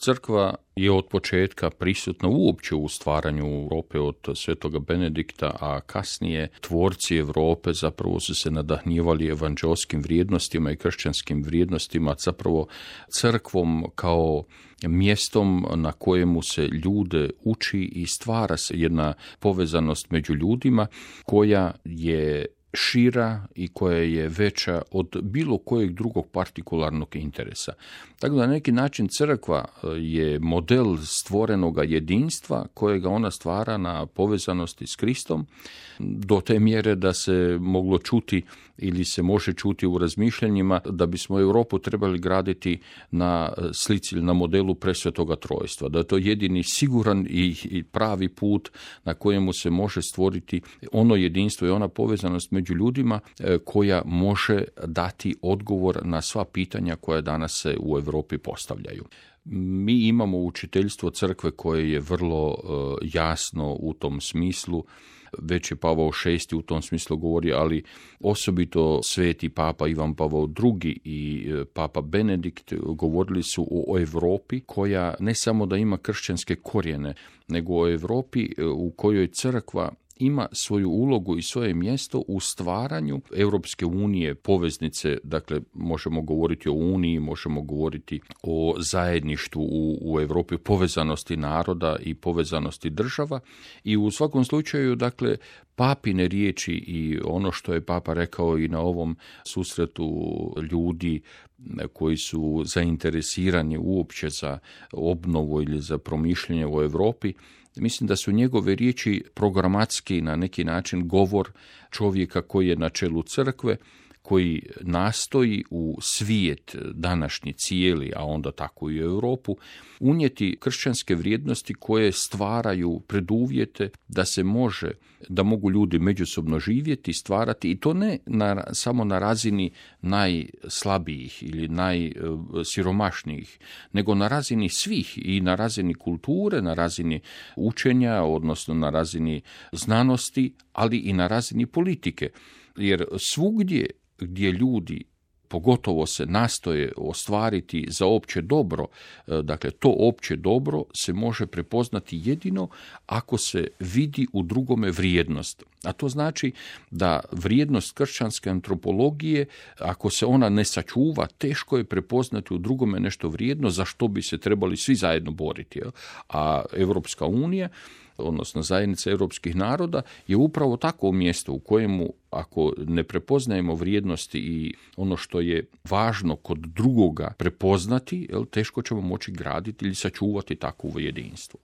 Crkva je od početka prisutna uopće u stvaranju Europe od Svetoga Benedikta, a kasnije tvorci Europe zapravo su se nadahnjivali evanđelskim vrijednostima i kršćanskim vrijednostima, zapravo crkvom kao mjestom na kojemu se ljude uči i stvara se jedna povezanost među ljudima koja je šira i koja je veća od bilo kojeg drugog partikularnog interesa. Tako da na neki način crkva je model stvorenoga jedinstva kojega ona stvara na povezanosti s Kristom do te mjere da se moglo čuti ili se može čuti u razmišljanjima da bismo Europu trebali graditi na slici, na modelu presvetoga trojstva, da je to jedini siguran i pravi put na kojemu se može stvoriti ono jedinstvo i ona povezanost među ljudima koja može dati odgovor na sva pitanja koja danas se u Europi postavljaju. Mi imamo učiteljstvo crkve koje je vrlo jasno u tom smislu. Već je Pavao VI u tom smislu govori, ali osobito sveti Papa Ivan Pavao II i Papa Benedikt govorili su o Europi koja ne samo da ima kršćanske korijene, nego o Europi u kojoj crkva ima svoju ulogu i svoje mjesto u stvaranju Europske unije, poveznice, dakle možemo govoriti o uniji, možemo govoriti o zajedništvu u Europi, povezanosti naroda i povezanosti država i u svakom slučaju, dakle, papine riječi i ono što je Papa rekao i na ovom susretu ljudi koji su zainteresirani uopće za obnovu ili za promišljanje u Europi, mislim da su njegove riječi programatski na neki način govor čovjeka koji je na čelu crkve, koji nastoji u svijet današnji cijeli, a onda tako i u Europu, unijeti kršćanske vrijednosti koje stvaraju preduvjete da mogu ljudi međusobno živjeti, stvarati, i to ne samo na razini najslabijih ili najsiromašnijih, nego na razini svih, i na razini kulture, na razini učenja, odnosno na razini znanosti, ali i na razini politike. Jer svugdje gdje ljudi pogotovo se nastoje ostvariti za opće dobro, dakle to opće dobro se može prepoznati jedino ako se vidi u drugome vrijednost. A to znači da vrijednost kršćanske antropologije, ako se ona ne sačuva, teško je prepoznati u drugome nešto vrijedno za što bi se trebali svi zajedno boriti. A Europska unija, odnosno zajednica europskih naroda, je upravo takvo mjesto u kojemu ako ne prepoznajemo vrijednosti i ono što je važno kod drugoga prepoznati, teško ćemo moći graditi ili sačuvati takvo jedinstvo.